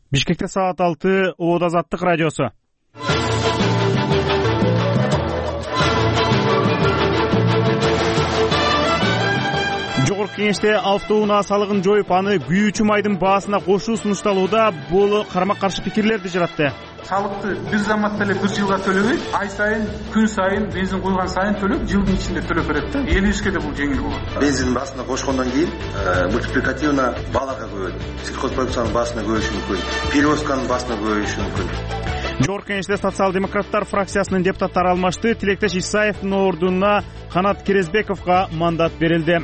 Бишкекте саат 6 Оот Азаттык радиосу. Жогорку Кеңеште автоунаа салыгын жоюп, аны күйүүчү майдын баасына кошуу сунушталууда. Бул карама-каршы пикирлерди жаратты. Салыкты бир заматта эле бир жылга төлөбөй, ай сайын, күн сайын, бензин куйган сайын төлөп, жылдын ичинде төлөп берет да. Элибизге да бул жеңил болот. Бензин баасына кошкондон кийин мультипликативно бааларга көбөйт. Сельхозпродукциянын баасына көбөйүшү мүмкүн, перевозканын баасына көбөйүшү мүмкүн. Жогорку Кеңеште социал-демократтар фракциясынын депутаттары алмашты. Тилектеш Исаевдин ордуна Канат Керезбековго мандат берилди.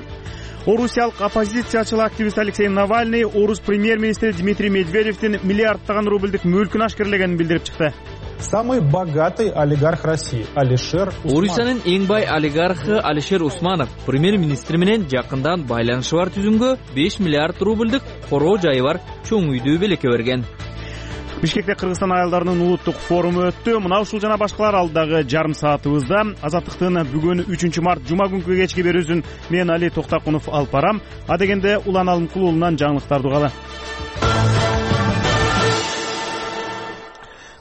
Орусиялык оппозициячыл активист Алексей Навальный орус премьер-министри Дмитрий Медведевдин миллиарддаган рубльдик мүлкүн ашкерлегенин билдирип чыкты. Самый богатый олигарх России Алишер Усманов. Орусиянын эң бай олигархы Алишер Усманов премьер-министр менен жакындан байланышы бар түзүмгө 5 миллиард рубльдик короо жайы бар чоң үйдү белекке берген. Бишкекте Кыргызстан аялдарынын улуттук форуму өттү. Мына ушул жана башкалар алдагы жарым саатыбызда. Азаттыктын бүгүн 3 март жума күнкү кечки берүүсүн мен Али Токтакунов алып барам. Адегенде Улан Алымкул уулунан жаңылыктарды угалы.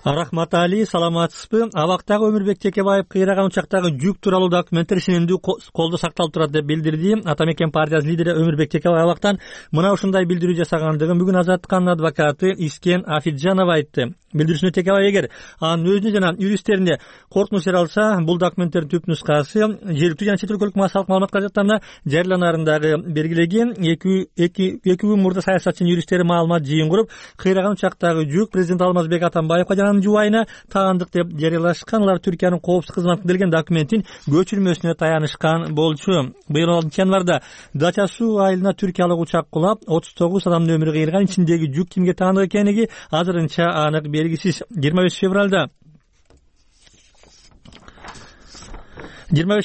Рахмат Али, саламатсызбы? Абактагы Өмүрбек Текебаев кыйраган учактагы жүк тууралуу документтер сенемдүү колдо сакталып турат деп билдирди. Атамекен партиясынын лидери Өмүрбек Текебаев абактан мына ушундай билдирүү жасагандыгын бүгүн Азаттыктын адвокаты Искен Афиджанова айтты. Билдирүүсүндө Текебаев эгер анын өзүнө жана юристтерине коркунуч жаралса, бул документтердин түп нускасы жергиликтүү жана чет өлкөлүк массалык маалымат каражаттарына жарыяланарындагы белгилеген. Эки күн мурда саясатчынын юристтери маалымат жыйын куруп, кыйраган учактагы жүк президент Алмазбек Атамбаевга жана жубайына таандык деп жарыялашкан. Алар Түркиянын коопсуздук кызматына берген документтин көчүрмөсүнө таянышкан болчу. Быйыл 6 январда Дача суу айылына түркиялык учак кулап, 39 адамдын өмүрү кыйылган. Ичиндеги жүк кимге таандык экенлиги азырынча анык белгисиз. 25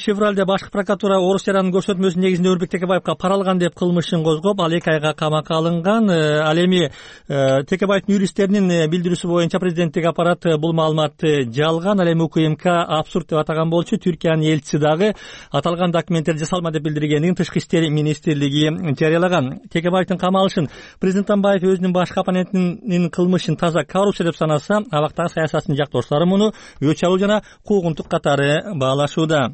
февралда башкы прокуратура орус жаранын көрсөтмөсүнүн негизинде Өмүрбек Текебаевга пара алган деп кылмышын козгоп, ал 2 айга камакка алынган. Ал эми Текебаевдин юристтеринин билдирүүсү боюнча президенттик аппарат бул маалыматты жалган, ал эми УКМК абсурд деп атаган болчу. Түркиянын элчиси дагы аталган документтерди жасалма деп билдиргендигин Тышкы иштер министрлиги жарыялаган. Текебаевдин камалышын президент Атамбаев өзүнүн башкы оппонентинин кылмышын таза коррупция деп санаса, абактагы саясаттын жактоочулары муну өч алуу жана куугунтук катары баалашууда.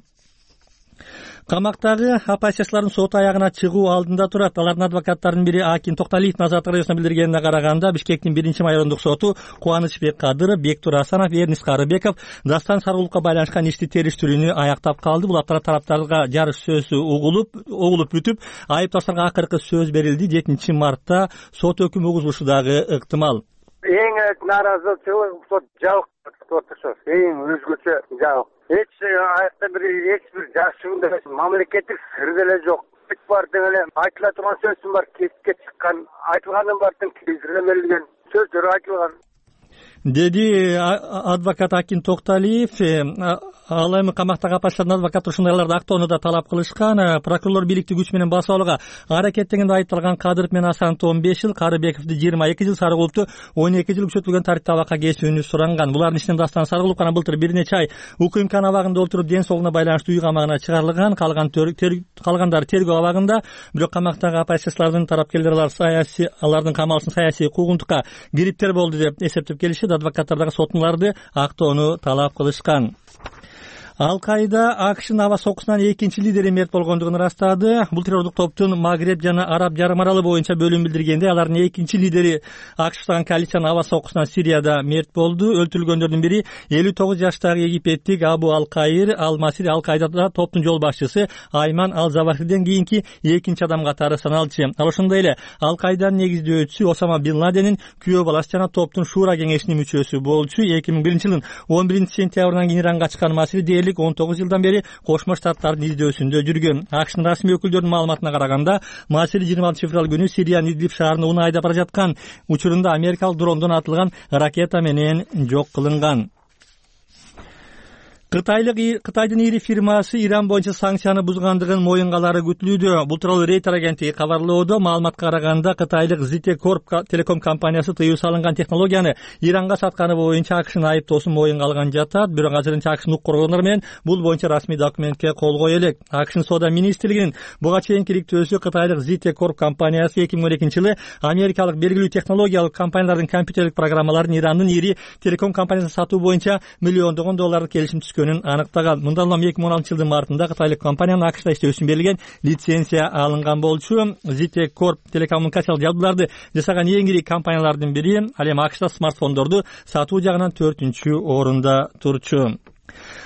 Камактагы оппозициялардын сот аягына чыгуу алдында турат. Алардын адвокаттарынын бири Акин Токталиевдин Азаттык радиосуна билдиргенине караганда, Бишкектин 1-майорундук соту Кубанычбек Кадыров, Бектур Асанов, Эрнис Карыбеков Дастан Сарыгуловго байланышкан ишти териштирүүнү аяктап калды. Бул аптара тараптарга жарыш сөзү угулуп бүтүп, айыпташтарга акыркы сөз берилди. 7 мартта сот өкүм угузулушу дагы ыктымал. Эң нааразычылык сот жабык отурушат. Эң өзгөчө жабык. Эч бир жашыгында мамлекеттик сыр деле жок. Бар деле айтыла турган сөзүм бар, кесипке чыккан, айтылганын баардыгын кизилге берилген сөздөр айтылган. Деди адвокат Акин Токталиев. Ал эми камактагы оппозициялардын адвокаты ушундайларды актоону да талап кылышкан. Прокурор бийликти күч менен басып алууга аракеттенгенде айыпталган Кадыров менен Асановду 15 жыл, Карыбековду 22 жыл, Сарыгуловду 12 жыл күчөтүлгөн тартипте абакка кесүүнү суранган. Булардын ичинен Дастан Сарыгулов гана былтыр бир нече ай УКМКнын абагында отуруп, ден соолугуна байланыштуу үй камагына чыгарылган. Калгандары тергөө абагында. Бирок камактагы оппозициялардын тарапкерлери алардын камалышын саясий куугунтукка кириптер болду деп эсептеп келишет. Адвокаттар дагы сотуналарды актоону талап кылышкан. Ал-Каида АКШнын аба сокусунан экинчи лидери мерт болгондугун ырастады. Бул террордук топтун Магреб жана Араб жарым аралы боюнча бөлүм билдиргенде, алардын экинчи лидери АКШтагы коалициянын аба сокусунан Сирияда мерт болду. Өлтүрүлгөндөрдүн бири 59 жаштагы египеттик Абу Ал-Каир Ал-Масири. Ал-Каидада топтун жол башчысы Айман Ал-Завахирден кийинки экинчи адам катары саналчу. Ал ошондой эле Ал-Каиданын негиздөөчүсү Осама Бин Ладенин күйөө баласы жана топтун Шура кеңешинин мүчөсү болчу. 2001-жылдын 11-сентябрынан кийин Иранга чыккан Масири 19 жылдан бери Кошмо Штаттардын издөөсүндө жүргөн. АКШнын расмий өкүлдөрүнүн маалыматына караганда, Масири 26 февраль күнү Сириянын Идлиб шаарына унаа айдап бара жаткан учурунда америкалык дрондон атылган ракета менен жок кылынган. Кытайдын ири фирмасы Иран боюнча санкцияны бузгандыгын моюнга алары күтүлүүдө. Бул тууралуу Рейтер агенттиги кабарлоодо. Маалыматка караганда Кытайлык ZTE Corp телеком компаниясы тыюу салынган технологияны Иранга сатканы боюнча АКШнын айыптоосун моюнга алган жатат. Бирок азырынча АКШнын укук коргоонлору менен бул боюнча расмий документке кол кое элек. АКШнын соода министрлигинин буга чейинки иликтөөсү Кытайлык ZTE Corp компаниясы 2012-жылы америкалык белгилүү технологиялык компаниялардын компьютерлик программаларын Ирандын ири телеком компаниясына сатуу боюнча миллиондогон долларлык келишим түзгөнүн аныктаган. Мындан улам 2016-жылдын мартында кытайлык компаниянын АКШда иштөө үчүн берилген лицензия алынган болчу. ZTE Corp телекоммуникациялык жабдууларды жасаган эң ири компаниялардын бири. Ал эми АКШда смартфондорду сатуу жагынан 4-орунда турчу.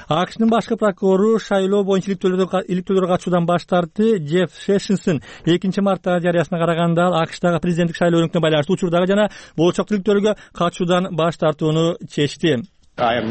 АКШнын башкы прокурору шайлоо боюнча иликтөөлөргө катышуудан баш тартты. Джефф Шешинсон 2-марттагы жарыясына караганда АКШдагы президенттик шайлоо өнүктүнө байланыштуу учурдагы жана болочок иликтөөлөргө катышуудан баш тартууну чечти. Мен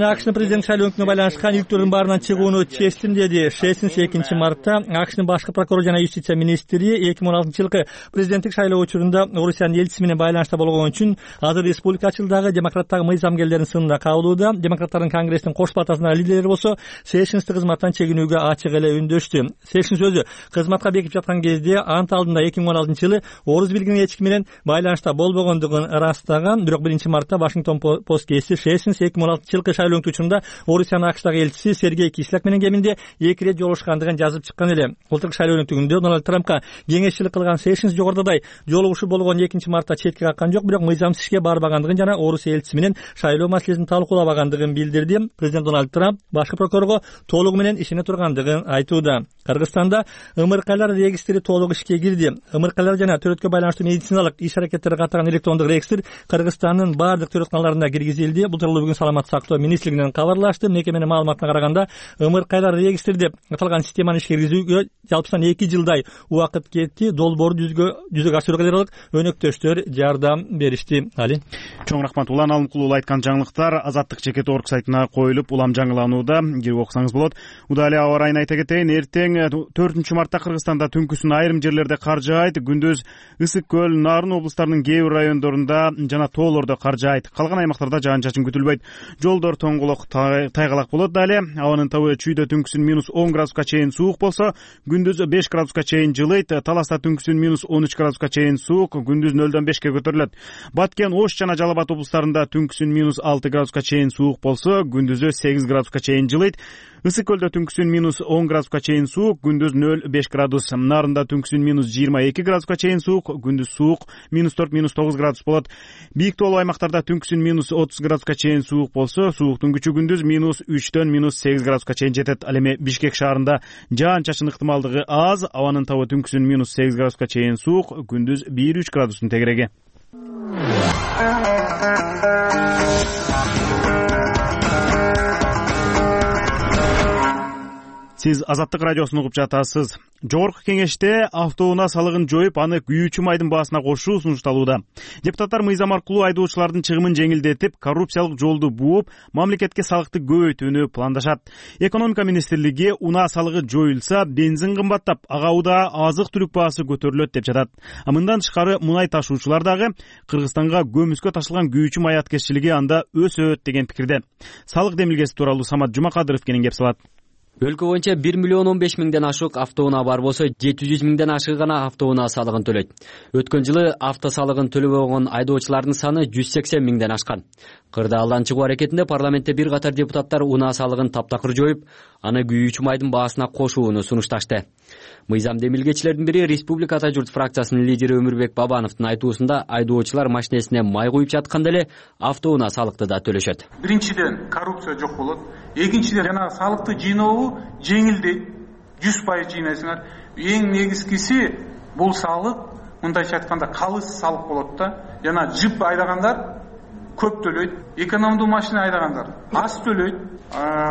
АКШнын президенттик шайлоо өнүктүнө байланышкан иликтөөлөрдүн баарынан чыгууну чечтим, деди Шесинс 2-мартта. АКШнын башкы прокурору жана юстиция министри 2016-жылкы президенттик шайлоо учурунда Орусиянын элчиси менен байланышта болгон үчүн азыр республикачылдагы демократтагы мыйзамгерлердин сынына кабылууда. Демократтардын конгресстин кош палатасынын лидери болсо Шесинсти кызматтан чегинүүгө ачык эле үндөштү. Шесинс өзү кызматка бекип жаткан кезде ант алдында 2016-жылы орус билгинин эчки менен байланышта болбогондугун ырастаган. Бирок 1-мартта Вашингтон Пост гезити Шесинс 2016-жылкы шайлоо учурунда Орусиянын АКШдагы элчиси Сергей Кислак менен кеминде 2 ирет жолугушкандыгын жазып чыккан эле. Былтыркы шайлоо өнүктүгүндө Дональд Трампка кеңешчилик кылган Шесинс жогорудагы жолугушуу болгон 2-мартта четке каккан жок, бирок мыйзамсыз ишке барбагандыгын жана Орусия элчиси менен шайлоо маселесин талкуулабагандыгын билдирди. Президент Дональд Трамп башкы прокурорго толугу менен ишене тургандыгын айтууда. Кыргызстанда ымыркайлар регистри толук ишке кирди. Ымыркайлар жана төрөткө байланыштуу медициналык иш-аракеттерди каттаган электрондук регистр Кыргызстандын бардык төрөтканаларында киргизилди. Бул тууралуу бүгүн Саламаттык сактоо министрлигинен кабарлашты. Мекеменин маалыматына караганда ымыркайлар регистри деп аталган системаны ишке киргизүүгө жалпысынан 2 жылдай убакыт кетти. Долбоорду жүзөгө ашырууга даярлык өнөктөштөр жардам беришти. Али. Чоң рахмат. Улан Алымкулуу айткан жаңылыктар Азаттык Чекет.org сайтына коюлуп улам жаңыланууда. Кирип окусаңыз болот. Удали аба ырайын айта кетейин. Эртең 4-мартта Кыргызстанда түнкүсүн айрым жерлерде кар жаайт. Күндүз Ысык көл, Нарын облустарынын кээ бир райондорунда жана тоолордо кар жаайт. Калган аймактарда жаан-чачын күтүлбөйт. Жолдор тоңголок, тайгалак болот. Дале абанын табы чүйдө түнкүсүн -10 градуска чейин суук болсо, күндүз 5 градуска чейин жылыйт. Таласта түнкүсүн -13 градуска чейин суук, күндүз 0-5 көтөрүлөт. Баткен, Ош жана Жалал Абад облустарында түнкүсүн -6 градуска чейин суук болсо, күндүзү 8 градуска чейин жылыйт. Ысык көлдө түнкүсүн -10 градуска чейин суук, күндүз 0-5 градус. Нарында түнкүсүн -22 градуска чейин суук, күндүз суук -4-9 градус болот. Бийик тоолуу аймактарда түнкүсүн -30 градуска чейин суук болсо, сууктун күчү күндүз -3-дөн -8 градуска чейин жетет. Ал эми Бишкек шаарында жаан-чачын ыктымалдыгы аз, абанын табы түнкүсүн -8 градуска чейин суук, күндүз 1-3 градустун тегереги. Сиз Азаттык радиосун угуп жатасыз. Жогорку кеңеште автоунаа салыгын жоюп, аны күйүүчү майдын баасына кошуу сунушталууда. Депутаттар мыйзам аркылуу айдоочулардын чыгымын жеңилдетип, коррупциялык жолду бууп, мамлекетке салыкты көбөйтүүнү пландашат. Экономика министрлиги унаа салыгы жоюлса, бензин кымбаттап, ага удаа азык-түлүк баасы көтөрүлөт деп жатат. Мындан тышкары мунай ташуучулар дагы Кыргызстанга көмүскө ташылган күйүүчү май аткезчилиги анда өсөт деген пикирде. Салык демилгеси тууралуу Самат Жумакадыров кенен кеп салат. Өлкө боюнча 1,15,000 ашык автоунаа бар болсо, 700,000 ашыгы гана автоунаа салыгын төлөйт. Өткөн жылы авто салыгын төлөбөгөн айдоочулардын саны 180,000 ашкан. Кырдаалдан чыгуу аракетинде парламентте бир катар депутаттар унаа салыгын таптакыр жоюп, аны күйүүчү майдын баасына кошууну сунушташты. Мыйзам демилгечилердин бири Республика Ата журт фракциясынын лидери Өмүрбек Бабановдун айтуусунда айдоочулар машинесине май куюп жатканда эле автоунаа салыкты да төлөшөт. Биринчиден коррупция жок болот. Экинчиден жана салыкты жыйнообу жеңилдейт. 100% жыйнайсыңар. Эң негизгиси бул салык мындайча айтканда калыс салык болот да. Жана жип айдагандар көп төлөйт. Экономдуу машина айдагандар аз төлөйт.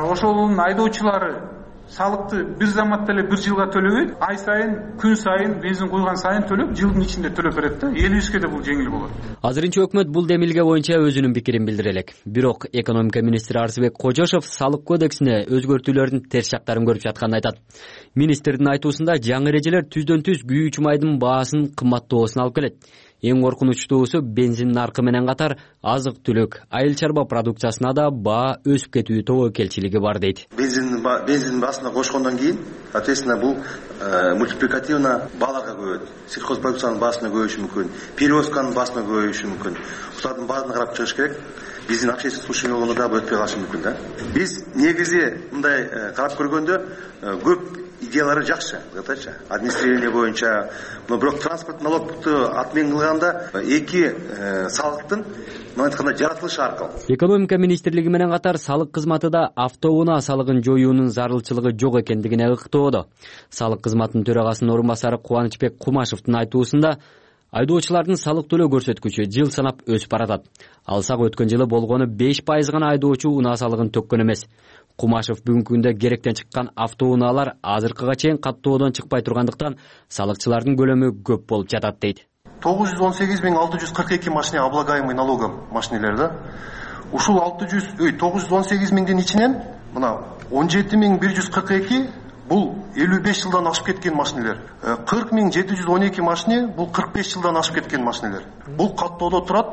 Ошолун айдоочулары салыкты бир заматта эле 1 жылга төлөбөйт. Ай сайын, күн сайын, бензин куйган сайын төлөп, жылдын ичинде төлөп берет да. Эл бизге да бул жеңил болот. Азырынча өкмөт бул демилге боюнча өзүнүн пикирин билдире элек. Бирок экономика министри Арсыбек Кожошов салык кодексине өзгөртүүлөрдүн терс жактарын көрүп жатканын айтат. Министрдин айтуусунда жаңы эрежелер түздөн-түз күйүүчү майдын баасын кымбаттоосуна алып келет. Эң коркунучтуусу бензин наркы менен катар азык-түлүк, айыл чарба продукциясына да баа өсүп кетүү тобокелчилиги бар дейт. Бензиндин баасына кошкондон кийин, соответственно, бул мультипликативно бааларга көбөйөт. Сельхозпродукциянын баасына көбөйүшү мүмкүн, перевозканын баасына көбөйүшү мүмкүн. Ушулардын баарын карап чыгыш керек. Биздин общественный слушание болгондо дагы өтпөй калышы мүмкүн да. Биз негизи мындай карап көргөндө көп идеялары жакшы, айтачы. Администрирование боюнча, но бирок транспорт налогту отмен кылганда эки салыктын айтканда жаратылышы аркылуу. Экономика министрлиги менен катар салык кызматы да автоунаа салыгын жоюунун зарылчылыгы жок экендигине ыктоодо. Салык кызматынын төрагасынын орун басары Кубанычбек Кумашевдин айтуусунда айдоочулардын салык төлөө көрсөткүчү жыл санап өсүп баратат. Алсак өткөн жылы болгону 5% гана айдоочу унаа салыгын төккөн эмес. Кумашев бүгүнкү күндө керектен чыккан автоунаалар азыркыга чейин каттоодон чыкпай тургандыктан салыкчылардын көлөмү көп болуп жатат дейт. 918.642 машина облагаемый налогом машинелер да. Ушул 918.000дин ичинен мына 17.142 бул 55 жылдан ашып кеткен машинелер. 40.712 машине бул 45 жылдан ашып кеткен машинелер. Бул каттоодо турат.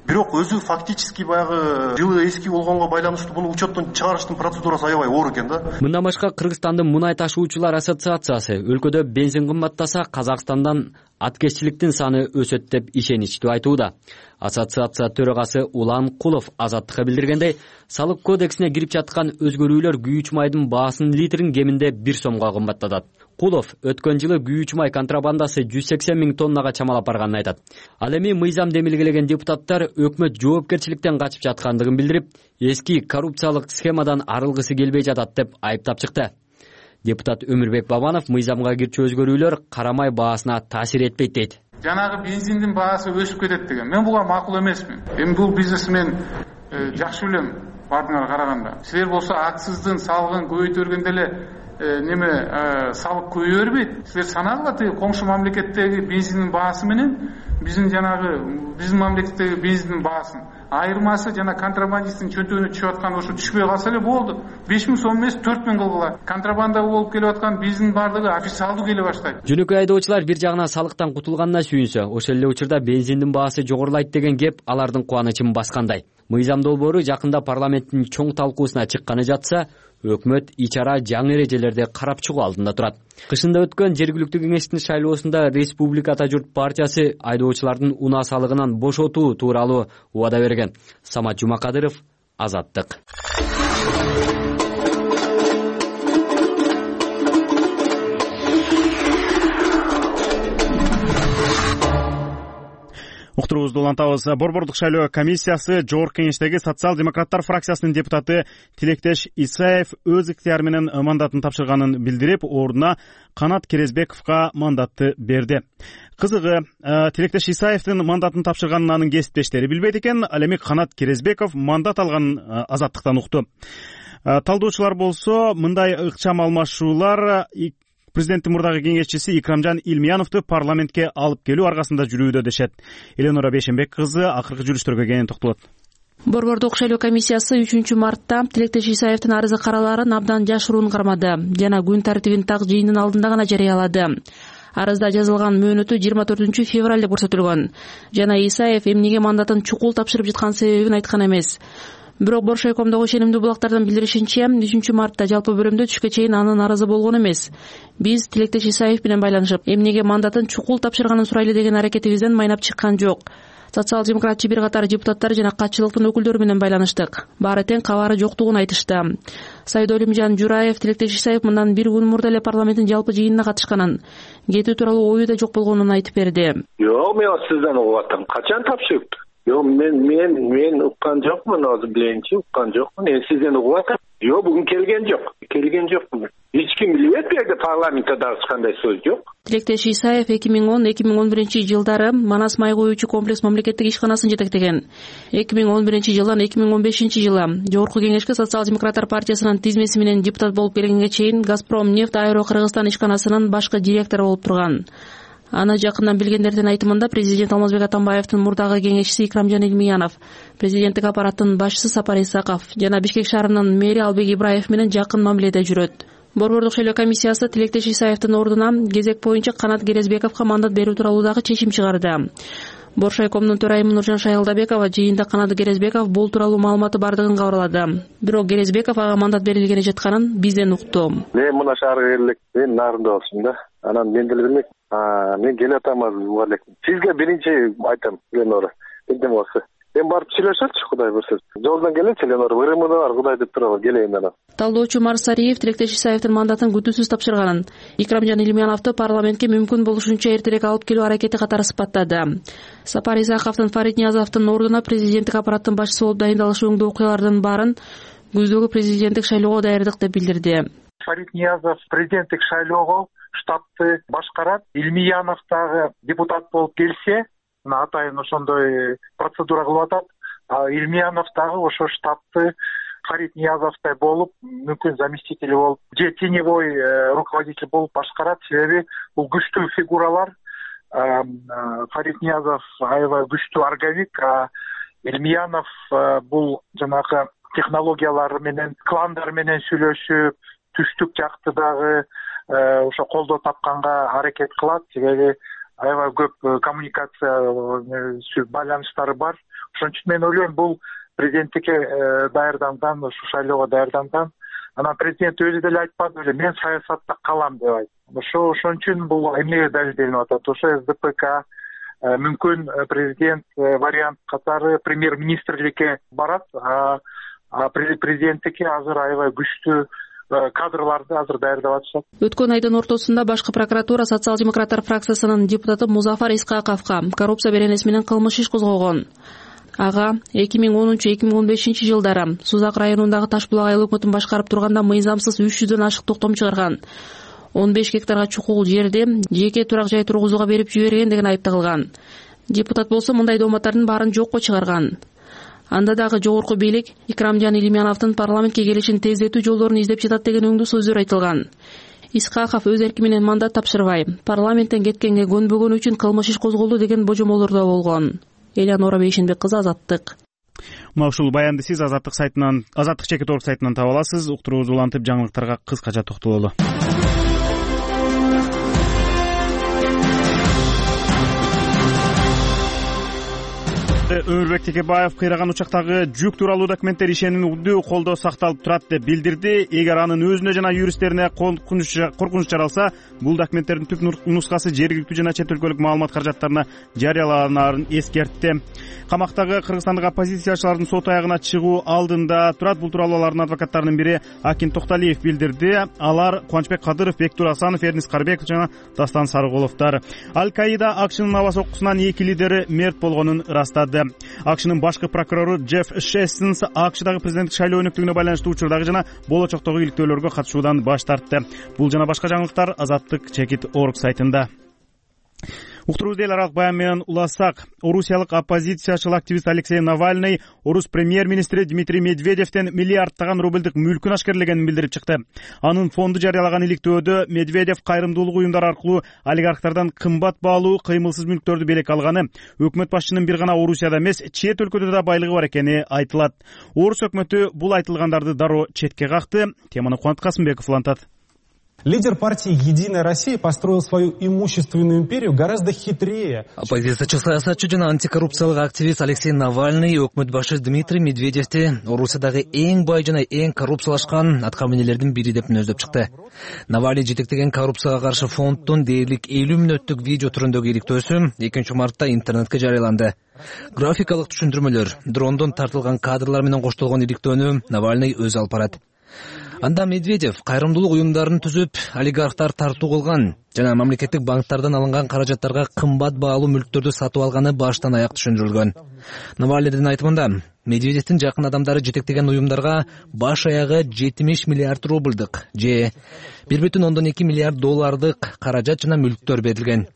Бирок өзү фактически баягы жылы эски болгонго байланыштуу буну учеттон чыгарыштын процедурасы аябай оор экен да. Мындан башка Кыргызстандын мунай ташуучулар ассоциациясы өлкөдө бензин кымбаттаса Казакстандан аткезчиликтин саны өсөт деп ишеничтүү айтууда. Ассоциация төрагасы Улан Кулов Азаттыкка билдиргендей, салык кодексине кирип жаткан өзгөрүүлөр күйүүч майдын баасын литрин кеминде 1 сомго кымбаттатат. Кулов өткөн жылы күйүүч май контрабандасы 180.000 тоннага чамалап барганын айтат. Ал эми мыйзам демилгелеген депутаттар өкмөт жоопкерчиликтен качып жаткандыгын билдирип, эски коррупциялык схемадан арылгысы келбей жатат деп айыптап чыкты. Депутат Өмүрбек Бабанов мыйзамга кирчү өзгөрүүлөр карамай баасына таасир этпейт дейт. Жанагы бензиндин баасы өсүп кетет деген. Мен буга макул эмесмин. Эми бул бизнесмен жакшы билем бардыңар караганда. Силер болсо акциздин салыгын көбөйтө бергенде эле салык көбөйө бербейт. Силер санагыла тиги коңшу мамлекеттеги бензиндин баасы менен биздин мамлекеттеги бензиндин баасын айырмасы жана контрабандисттин чөнтөгүнө түшүп аткан ошо түшпөй калса эле болду. 5.000 сом эмес 4.000 кылгыла. Контрабанда болуп келип аткан бензиндин бардыгы официалдуу келе баштайт. Жөнөкөй айдоочулар бир жагынан салыктан кутулганына сүйүнсө, ошол эле учурда бензиндин баасы жогорулайт деген кеп алардын кубанычын баскандай. Мыйзам долбоору жакында парламенттин чоң талкуусуна чыкканы жатса, өкмөт ичара жаңы эрежелерди карап чыгуу алдында турат. Кышында өткөн жергиликтүү кеңештин шайлоосунда Республика Ата журт партиясы айдоочулардын унаа салыгынан бошотуу тууралуу убада берген. Самат Жумакадыров, Азаттык. Уктуруубузду улантабыз. Борбордук шайлоо комиссиясы Жогорку кеңештеги социал-демократтар фракциясынын депутаты Тилектеш Исаев өз ыктыяры менен мандатын тапшырганын билдирип, ордуна Канат Керезбековго мандатты берди. Кызыгы, Тилектеш Исаевдин мандатын тапшырганын анын кесиптештери билбейт экен, ал эми Канат Керезбеков мандат алганын Азаттыктан укту. Талдоочулар болсо мындай ыкчам алмашуулар президенттин мурдагы кеңешчиси Икрамжан Илмияновду парламентке алып келүү аркасында жүрүүдө дешет. Эленора Бешенбек кызы акыркы жүрүштөргө кенен токтолот. Борбордук шайлоо комиссиясы 3-мартта Тилектеш Исаевдин арызы каралаарын абдан жашыруун кармады жана күн тартибин так жыйындын алдында гана жарыялады. Арызда жазылган мөөнөтү 24-февраль деп көрсөтүлгөн. Жана Исаев эмнеге мандатын чукул тапшырып жаткан себебин айткан эмес. Бирок Боршайкомдогу ишенимдүү булактардан билдиришинче, 3-мартта жалпы бөлүмдө түшкө чейин анын арызы болгон эмес. Биз Тилектеш Исаев менен байланышып, эмнеге мандатын чукул тапшырганын сурайлы деген аракетибизден майнап чыккан жок. Социал-демократчы бир катар депутаттар жана катчылыктын өкүлдөрү менен байланыштык. Баары тең кабары жоктугун айтышты. Сайдолимжан Жураев Тилектеш Исаев мындан бир күн мурда эле парламенттин жалпы жыйынына катышканын, кетүү тууралуу ою да жок болгонун айтып берди. Жок, мен сизден угуп атам. Качан тапшырыптыр? Жок, мен уккан жокмун, азыр биленчи уккан жокмун. Сизден угуп атам. Жок, бүгүн келген жокмун. Эч ким билбейт, бу жерде парламентте дагы кандай сөз жок. Тилектеш Исаев 2010-2011 жылдары Манас май коюучу комплекс мамлекеттик ишканасын жетектеген. 2011 жылдан 2015 жылы Жогорку кеңешке социал-демократтар партиясынын тизмеси менен депутат болуп келгенге чейин Газпром нефть Аэро Кыргызстан ишканасынын башкы директору болуп турган. Аны жакындан билгендердин айтымында президент Алмазбек Атамбаевдин мурдагы кеңешчиси Икрамжан Илмиянов, президенттик аппараттын башчысы Сапар Исаков жана Бишкек шаарынын мэри Албек Ибраев менен жакын мамиледе жүрөт. Борбордук шайлоо комиссиясы Тилектеш Исаевдин ордуна кезек боюнча Канат Керезбековго мандат берүү тууралуу дагы чечим чыгарды. Боршайкомдун төрайымы Нуржан Шайылдабекова жыйында Канат Керезбеков бул тууралуу маалыматы бардыгын кабарлады. Бирок Керезбеков ага мандат берилгени жатканын бизден укту. Мен мына шаарга келдик, мен нарында болсум да. Анан мен деле билмейм. Мен келатам азыр буга элек. Сизге биринчи айтам, Ленора. Эмне болсо. Мен барып сүйлөшөлчү, Кудай буйрса. Жолдон келечи, Ленора, ВРМда бар, Кудай деп турабы, келейин анан. Талдоочу Марсариев Тилектеш Исаевдин мандатын күтүүсүз тапшырганын, Икрамжан Илимяновду парламентке мүмкүн болушунча эртерээк алып келүү аракети катары сыпаттады. Сапар Исаковдун Фарид Ниязовдун ордуна президенттик аппараттын башчысы болуп дайындалышы өңдүү окуялардын баарын күздөгү президенттик шайлоого даярдык деп билдирди. Фарид Ниязов президенттик шайлоого штабты башкарат. Илмиянов дагы депутат болуп келсе, атайын ошондой процедура кылып атат. Илмиянов дагы ошо штабты Фарид Ниязовдай болуп, мүмкүн заместитель болуп, же теневой руководитель болуп башкарат. Себеби бул күчтүү фигуралар. Фарид Ниязов аябай күчтүү органик, Илмиянов бул жанагы технологиялар менен, кландар менен сүйлөшүп, түштүк жакты дагы ошо колдоо тапканга аракет кылат. Себеби аябай көп коммуникация байланыштары бар. Ошон үчүн мен ойлойм, бул президенттикке даярданган, ушу шайлоого даярданган. Анан президент өзү деле айтпады беле, мен саясатта калам деп айтты. Ошон үчүн бул эмнеге далилденип атат? Ошо СДПК мүмкүн президент вариант катары премьер-министрликке барат, президенттикке азыр аябай күчтүү кадрларды азыр даярдап атышат. Өткөн айдын ортосунда башкы прокуратура социал-демократтар фракциясынын депутаты Музафар Искаковго коррупция беренеси менен кылмыш иш козгогон. Ага 2010-2015 жылдары Сузак районундагы Таш булак айыл өкмөтүн башкарып турганда мыйзамсыз 300дөн ашык токтом чыгарган. 15 гектарга чукул жерди жеке турак жай тургузууга берип жиберген деген айып тагылган. Депутат болсо мындай дооматтардын баарын жокко чыгарган. Анда дагы жогорку бийлик Икрамжан Илимяновдун парламентке келишин тездетүү жолдорун издеп жатат деген өңдүү сөздөр айтылган. Искаков өз эрки менен мандат тапшырбай, парламенттен кеткенге көнбөгөнү үчүн кылмыш иш козголду деген божомолдор да болгон. Элянора Бейшенбек кызы, Азаттык. Мына ушул баянды сиз Азаттык сайтынан, Азаттык чекит орг сайтынан таба аласыз. Уктуруубузду улантып жаңылыктарга кыскача токтололу. Өмүрбек Текебаев кыйраган учактагы жүк тууралуу документтер ишенимдүү колдоо сакталып турат деп билдирди. Эгер анын өзүнө жана юристтерине коркунуч жаралса, бул документтердин түп нускасы жергиликтүү жана чет өлкөлүк маалымат каражаттарына жарыяланарын эскертти. Камактагы кыргызстандык оппозициячылардын сот аягына чыгуу алдында турат. Бул тууралуу алардын адвокаттарынын бири Акин Токталиев билдирди. Алар Кубанычбек Кадыров, Бектур Асанов, Эрнис Карбеков жана Дастан Сарыголовдор. Аль-Каида АКШнын аба соккусунан 2 лидери мерт болгонун ырастады. АКШнын башкы прокурору Джефф Шестенс АКШдагы президенттик шайлоо өнүктүгүнө байланыштуу учурдагы жана болочоктогу иликтөөлөргө катышуудан баш тартты. Бул жана башка жаңылыктар Азаттык чекит орг сайтында. Уктуруубузду эл аралык баян менен улассак, орусиялык оппозициячыл активист Алексей Навальный орус премьер-министри Дмитрий Медведевден миллиардтаган рубльдук мүлкүн ашкерлегенин билдирип чыкты. Анын фонду жарыялаган иликтөөдө Медведев кайрымдуулук уюмдар аркылуу олигархтардан кымбат баалуу кыймылсыз мүлктөрдү белекке алганы, өкмөт башчынын бир гана Орусияда эмес, чет өлкөдө да байлыгы бар экени айтылат. Орус өкмөтү бул айтылгандарды дароо четке какты. Теманы Кубанат Касымбеков улантат. Лидер партии «Единая Россия» построил свою имущественную империю гораздо хитрее. Оппозициячы саясатчы жана антикоррупциялык активист Алексей Навальный өкмөт башы Дмитрий Медведевди Орусиядагы эң бай жана эң коррупциялашкан аткаминелердин бири деп мүнөздөп чыкты. Навальный жетектеген коррупцияга каршы фонддун дээрлик 50 мүнөттүк видео түрүндөгү иликтөөсү 2 мартта интернетке жарыяланды. Графикалык түшүндүрмөлөр, дрондон тартылган кадрлар менен коштолгон иликтөөнү Навальный өзү алып барат. Анда Медведев кайрымдуулук уюмдарын түзүп, олигархтар тартуу кылган жана мамлекеттик банктардан алынган каражаттарга кымбат баалуу мүлктөрдү сатып алганы баштан аяк түшүндүрүлгөн. Навальныйдын айтымында, Медведевдин жакын адамдары жетектеген уюмдарга баш аягы 70 миллиард рубльдык же 1,2 миллиард доллардык каражат жана мүлктөр берилген.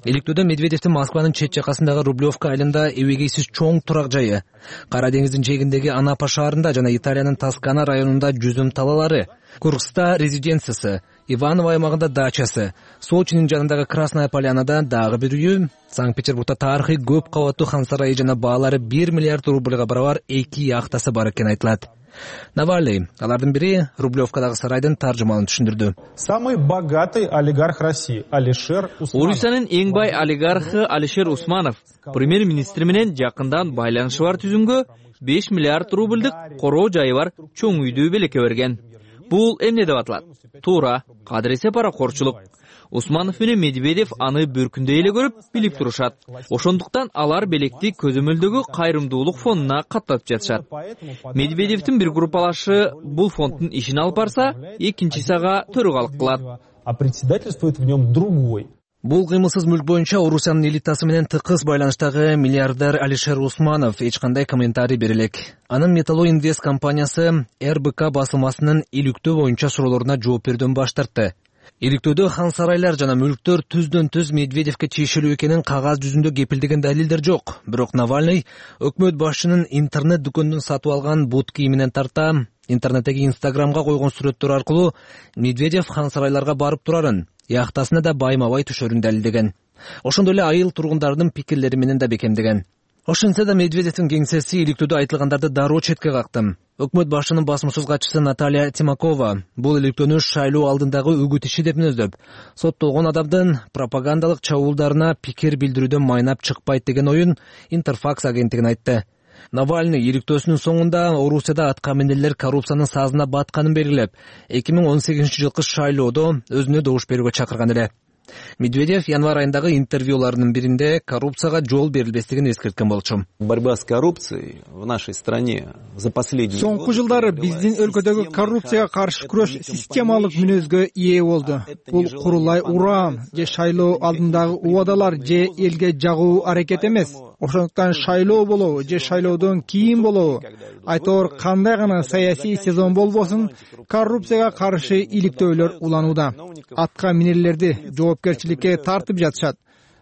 Иликтөөдө Медведевдин Москванын чет жакасындагы Рублевка айылында эбегейсиз чоң турак жайы, Кара деңиздин жээгиндеги Анапа шаарында жана Италиянын Тоскана районунда жүзүм талалары, Курскта резиденциясы, Иваново аймагында дачасы, Сочинин жанындагы Красная Полянада дагы бир үйү, Санкт-Петербургда тарыхый көп кабаттуу хан сарайы жана баалары 1 миллиард рубльга барабар 2 яхтасы бар экени айтылат. Навальный алардын бири Рублевкадагы сарайдын таржымалын түшүндүрдү. Самый богатый олигарх России Алишер Усманов. Орусиянын эң бай олигархы Алишер Усманов премьер-министри менен жакындан байланышы бар түзүмгө 5 миллиард рубльдык короо жайы бар чоң үйдү белекке берген. Бул эмне деп аталат? Туура, кадыресе паракорчулук. Усманов менен Медведев аны бүркүндөй эле көрүп, билип турушат. Ошондуктан алар белекти көзөмөлдөгү кайрымдуулук фондуна каттатып жатышат. Медведевдин бир группалашы бул фонддун ишин алып барса, экинчиси ага төрөгалык кылат. А председательствует в нем другой. Бул кыймылсыз мүлк боюнча Орусиянын элитасы менен тыкыз байланыштагы миллиардер Алишер Усманов эч кандай комментарий бере элек. Анын Металло Инвест компаниясы РБК басылмасынын иликтөө боюнча суроолоруна жооп берүүдөн баш тартты. Иликтөөдө хан сарайлар жана мүлктөр түздөн-түз Медведевке тиешелүү экенин кагаз жүзүндө кепилдеген далилдер жок. Бирок Навальный өкмөт башчынын интернет дүкөндөн сатып алган бут кийиминен тарта интернеттеги Инстаграмга койгон сүрөттөр аркылуу Медведев хан сарайларга барып турарын, яхтасына да байма-бай түшөрүн далилдеген. Ошондой эле айыл тургундарынын пикирлери менен да бекемдеген. Ошентсе да Медведевдин кеңсеси иликтөөдө айтылгандарды дароо четке какты. Өкмөт башчынын басмасөз катчысы Наталья Тимакова бул иликтөөнү шайлоо алдындагы үгүт иши деп мүнөздөп, соттолгон адамдын пропагандалык чабуулдарына пикир билдирүүдөн майнап чыкпайт деген оюн Интерфакс агенттигине айтты. Навальный иликтөөсүнүн соңунда Орусияда аткаминерлер коррупциянын сазына батканын белгилеп, 2018-жылкы шайлоодо өзүнө добуш берүүгө чакырган эле. Медведев январь айындагы интервьюларынын биринде коррупцияга жол берилбестигин эскерткен болчу. Борьба с коррупцией в нашей стране за последние Соңку жылдары биздин өлкөдөгү коррупцияга каршы күрөш системалык мүнөзгө ээ болду. Бул курулай уран же шайлоо алдындагы убадалар же элге жагуу аракет эмес. Ошондуктан шайлоо болобу же шайлоодон кийин болобу, айтор кандай гана саясий сезон болбосун, коррупцияга каршы иликтөөлөр уланууда. Атка минерлерди жоопкерчиликке тартып жатышат.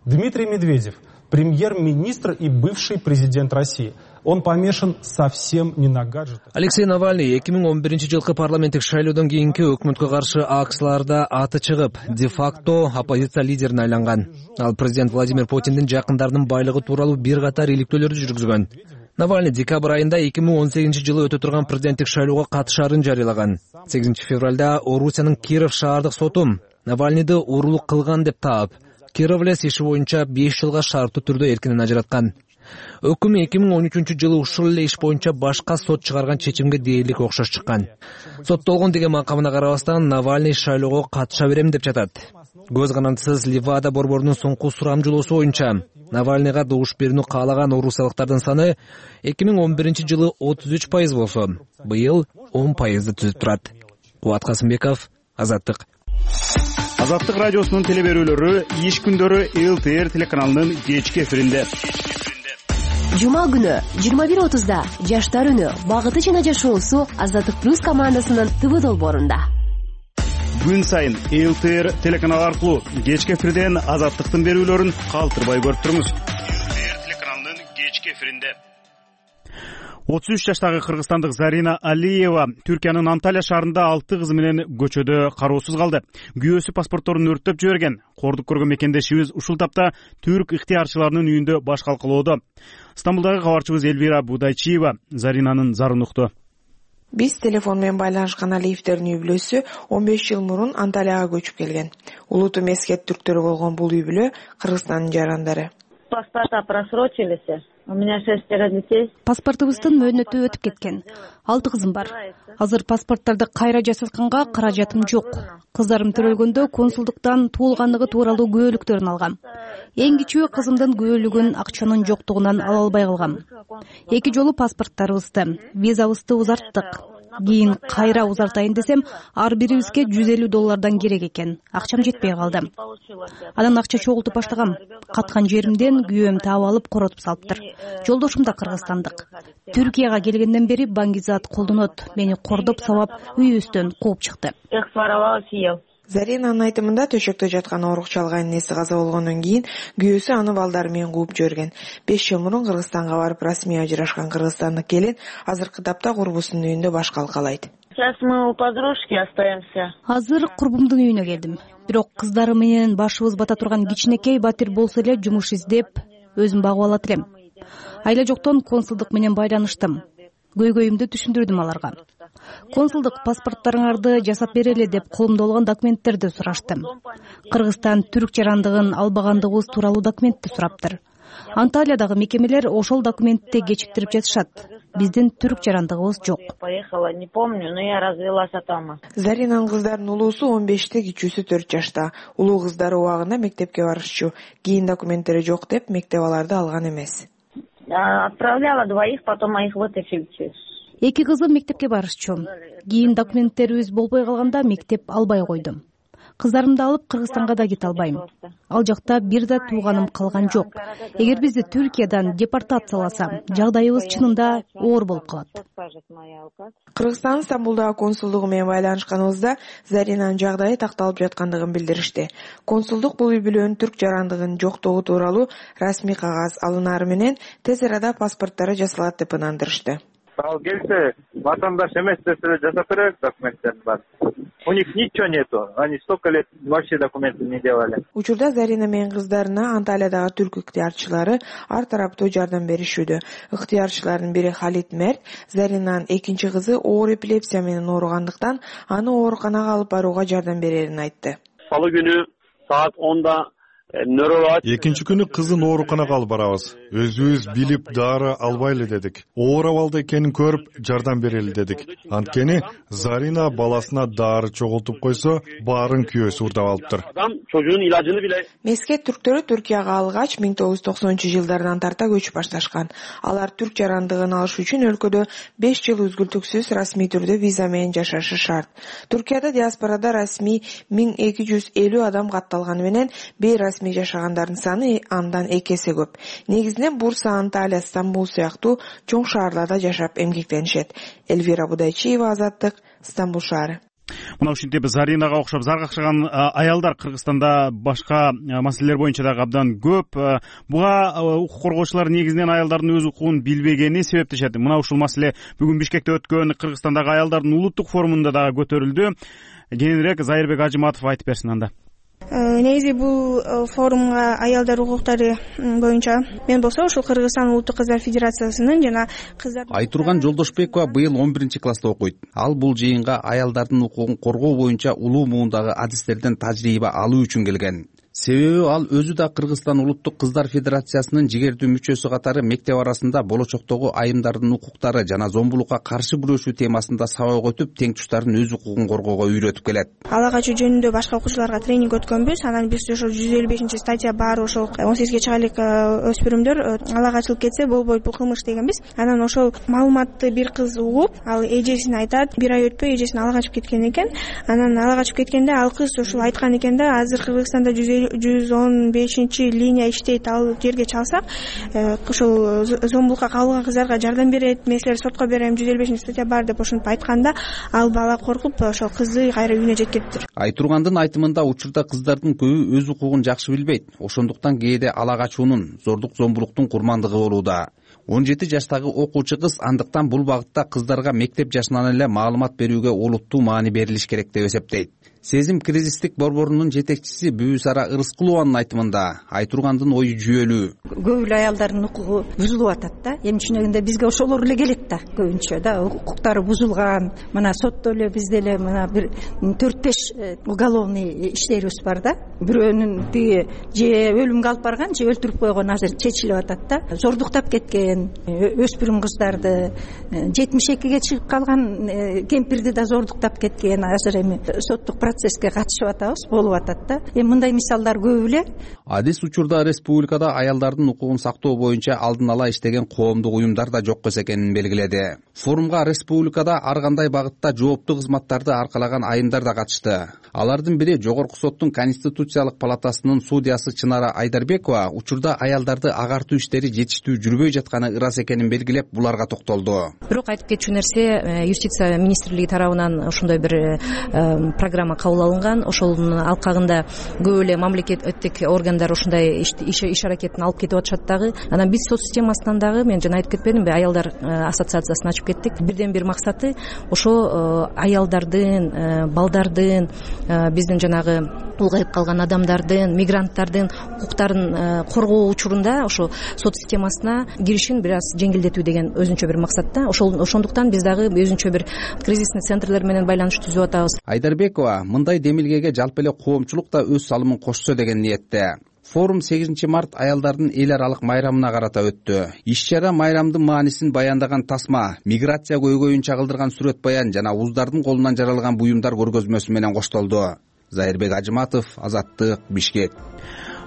Дмитрий Медведев, премьер-министр и бывший президент России. Он помешан совсем не на гаджетах. Алексей Навальный 2011-жылкы парламенттик шайлоодон кийинки өкмөткө каршы акцияларда аты чыгып, де-факто оппозиция лидерине айланган. Ал президент Владимир Путиндин жакындарынын байлыгы тууралуу бир катар иликтөөлөрдү жүргүзгөн. Навальный декабрь айында 2018-жылы өтө турган президенттик шайлоого катышаарын жарыялаган. 8 февралда Орусиянын Киров шаардык соту Навальныйды уурулук кылган деп таап, Кировлес иши боюнча 5 жылга шарттуу түрдө эркинен ажыраткан. Өкүм 2013-жылы ушул эле иш боюнча башка сот чыгарган чечимге дээрлик окшош чыккан. Соттолгон деген макамына карабастан Навальный шайлоого катыша берем деп жатат. Көз канатсыз Левада борборунун соңку сурамжылоосу боюнча Навальныйга добуш берүүнү каалаган орусиялыктардын саны 2011-жылы 33% болсо, быйыл 10%ды түзүп турат. Кубат Касымбеков, Азаттык. Азаттык радиосунун телеберүүлөрү иш күндөрү ЛТР телеканалынын кечки эфиринде. Жума күнү 21:30да Жаштар үнү багыты жана жашоосу Азаттык плюс командасынын ТВ долбоорунда. Күн сайын ЛТР телеканалы аркылуу кечки эфирден Азаттыктын берүүлөрүн калтырбай көрүп туруңуз. ЛТР телеканалынын кечки эфиринде. 33 жаштагы кыргызстандык Зарина Алиева Түркиянын Анталия шаарында 6 кызы менен көчөдө кароосуз калды. Күйөөсү паспортторун өрттөп жиберген. Кордук көргөн мекендешибиз ушул тапта түрк ыктыярчыларынын үйүндө баш калкалоодо. Стамбулдагы кабарчыбыз Элвира Будайчиева Заринанын зарын укту. Биз телефон менен байланышкан Алиевдердин үй бүлөсү 15 жыл мурун Анталияга көчүп келген. Улуту мескет түрктөр болгон бул үй бүлө Кыргызстандын жарандары. Паспорта просрочились. У меня 6 детей. Паспортубуздун мөөнөтү өтүп кеткен. 6 кызым бар. Азыр паспорттарды кайра жасатканга каражатым жок. Кыздарым төрөлгөндө консулдуктан туулгандыгы тууралуу күбөлүктөрүн алгам. Эң кичүү кызымдын күбөлүгүн акчанын жоктугунан ала албай калгам. 2 жолу паспорттарыбызды, визабызды узарттык. Кийин кайра узартайын десем, ар бирибизге $150 керек экен. Акчам жетпей калды. Анан акча чогултуп баштагам. Каткан жеримден күйөөм таап алып коротуп салыптыр. Жолдошум да кыргызстандык. Түркияга келгенден бери Баңгизат колдонот. Мени кордоп сабап, үйүбүздөн кууп чыкты. Заринанын айтымында төшөктө жаткан оорукчу алган энеси каза болгондон кийин күйөөсү аны балдары менен кууп жиберген. 5 жыл мурун Кыргызстанга барып расмий ажырашкан кыргызстандык келин азыркы тапта курбусунун үйүндө баш калкалайт. Сейчас мы у подружки остаемся. Азыр курбумдун үйүнө келдим. Бирок кыздары менен башыбыз бата турган кичинекей батир болсо эле жумуш издеп, өзүм багып алат элем. Айла жоктон консулдук менен байланыштым. көйгөйүмдү түшүндүрдүм аларга. Консулдук паспорттарыңарды жасап берели деп колумда болгон документтерди сураштым. Кыргызстан түрк жарандыгын албагандыгыбыз тууралуу документти сураптыр. Анталиядагы мекемелер ошол документти кечиктирип жатышат. Биздин түрк жарандыгыбыз жок. Поехала, не помню, но я развелась там. Заринанын кыздарынын улуусу 15-те, кичүүсү 4 жашта. Улуу кыздары убагында мектепке барышчу. Кийин документтери жок деп мектеп аларды алган эмес. Отправляла двоих, потом моих вытащили. 2 кызым мектепке барышчу. Кийин документтерибиз болбой калганда мектеп албай койдум. Кыздарымды алып Кыргызстанга да кете албайм. Ал жакта бир да тууганым калган жок. Эгер бизди Түркиядан депортацияласа, жагдайыбыз чынында оор болуп калат. Кыргызстан Стамбулдагы консулдугу менен байланышканыбызда Заринанын жагдайы такталып жаткандыгын билдиришти. Консулдук бул үй-бүлөнүн түрк жарандыгынын жоктугу тууралуу расмий кагаз алынары менен тез арада паспорттары жасалат деп ынандырышты. Ал келсе, ватандаш эмес десе жасап берет документтерин бар. У них ничего нету. Они столько лет вообще документы не делали. Учурда Зарина менен кыздарына Анталиядагы түрк ыктыярчылары ар тараптуу жардам беришүүдө. Ыктыярчылардын бири Халид Мерт, Заринанын экинчи кызы оор эпилепсия менен ооругандыктан аны ооруканага алып барууга жардам берерин айтты. Салуу күнү саат 10-да экинчи күнү кызын ооруканага алып барабыз. Өзүбүз билип дары албайлы дедик. Оор абалда экенин көрүп жардам берели дедик. Анткени Зарина баласына дары чогултуп койсо, баарын күйөөсү урдап алыптыр. Мескет түрктөрү Түркияга алгач 1990-жылдардан тарта көчүп башташкан. Алар түрк жарандыгын алыш үчүн өлкөдө 5 жыл үзгүлтүксүз расмий түрдө виза менен жашашы шарт. Түркияда диаспорада расмий 1250 адам катталганы менен бейрасмий жашагандардын саны андан 2 эсе көп. Негизинен Бурса, Анталия, Стамбул сыяктуу чоң шаарларда жашап эмгектенишет. Эльвира Будайчиева, Азаттык, Стамбул шаары. Мына ушинтип Заринага окшоп заргакчыган аялдар Кыргызстанда башка маселелер боюнча дагы абдан көп. Буга укук коргоочулар негизинен аялдардын өз укугун билбегени себептешет. Мына ушул маселе бүгүн Бишкекте өткөн Кыргызстандагы аялдардын улуттук форумунда дагы көтөрүлдү. Кененирээк Зайырбек Ажыматов айтып берсин анда. Негизи бул форумга аялдар укуктары боюнча мен болсо ушул Кыргызстан улуттук кыздар федерациясынын жана кыздар Айтурган Жолдошбекова быйыл 11-класста окуйт. Ал бул жыйынга аялдардын укугун коргоо боюнча улуу муундагы адистерден тажрыйба алуу үчүн келген. Себеби ал өзү да Кыргызстан улуттук кыздар федерациясынын жигердүү мүчөсү катары мектеп арасында болочоктогу айымдардын укуктары жана зомбулукка каршы күрөшүү темасында сабак өтүп, тең туштардын өз укугун коргоого үйрөтүп келет. Ала качуу жөнүндө башка окуучуларга тренинг өткөнбүз. Анан биз ошол 155-статья бар ошол 18-ге чыга элек өспүрүмдөр ала качылып кетсе болбойт, бул кылмыш дегенбиз. Анан ошол маалыматты бир кыз угуп, ал эжесине айтат. Бир ай өтпөй эжесин ала качып кеткен экен. Анан ала качып кеткенде ал кыз ошол айткан экен да, азыр Кыргызстанда 115 линия иштейт, ал жерге чалсак ошол зомбулукка кабылган кыздарга жардам берет, мен силерди сотко берем, 155-статья бар деп ошентип айтканда ал бала коркуп ошол кызды кайра үйүнө жеткириптир. Айтургандын айтымында учурда кыздардын көбү өз укугун жакшы билбейт. Ошондуктан кээде ала качуунун, зордук зомбулуктун курмандыгы болууда. 17 жаштагы окуучу кыз андыктан бул багытта кыздарга мектеп жашынан эле маалымат берүүгө олуттуу маани берилиш керек деп эсептейт. Сезим кризистик борборунун жетекчиси Бүбүсара Ырыскулованын айтымында Айтургандын ою жүйөлүү. Көп эле аялдардын укугу бузулуп атат да. Эми чынында бизге ошолор эле келет да, көбүнчө да, укуктары бузулган. Мына сотто эле бизде эле мына бир 4-5 уголовный иштерибиз бар да. Бирөөнүн тиги же өлүмгө алып барган, же өлтүрүп койгон азыр чечилип атат да. Зордуктап кеткен өспүрүм кыздарды, 72-ге чыгып калган кемпирди да зордуктап кеткен. Азыр эми соттук процесске катышып атабыз, болуп атат да. Эми мындай мисалдар көп эле. Адис учурда республикада аялдардын укугун сактоо боюнча алдын ала иштеген коомдук уюмдар да жок эмес экенин белгиледи. Форумга республикада ар кандай багытта жооптуу кызматтарды аркалаган айымдар да катышты. Алардын бири Жогорку соттун Конституциялык палатасынын судьясы Чынара Айдарбекова учурда аялдарды агартуу иштери жетиштүү жүрбөй жатканы ырас экенин белгилеп, буларга токтолду. Бирок айтып кетчү нерсе, юстиция министрлиги тарабынан ошондой бир программа кабыл алынган. Ошонун алкагында көп эле мамлекеттик органдар ушундай иш аракетин алып кетип атышат дагы. Анан биз сот системасынан дагы, мен жана айтып кетпедимби, аялдар ассоциациясын ачып кеттик. Бирден бир максаты ошо аялдардын, балдардын, биздин жанагы улгайып калган адамдардын, мигранттардын укуктарын коргоо учурунда ошо сот системасына кирип киришин бир аз жеңилдетүү деген өзүнчө бир максат да. Ошондуктан биз дагы өзүнчө бир кризисный центрлер менен байланыш түзүп атабыз. Айдарбекова мындай демилгеге жалпы эле коомчулук да өз салымын кошсо деген ниетте. Форум 8 март аялдардын эл аралык майрамына карата өттү. Иш-чара майрамдын маанисин баяндаган тасма, миграция көйгөйүн чагылдырган сүрөт баян жана уздардын колунан жаралган буюмдар көргөзмөсү менен коштолду. Зайырбек Ажыматов, Азаттык, Бишкек.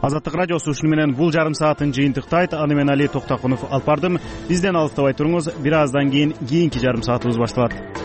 Азаттык радиосу ушуну менен бул жарым саатын жыйынтыктайт. Аны мен Али Токтокунов алып бардым. Бизден алыстабай туруңуз. Бир аздан кийин кийинки жарым саатыбыз башталат.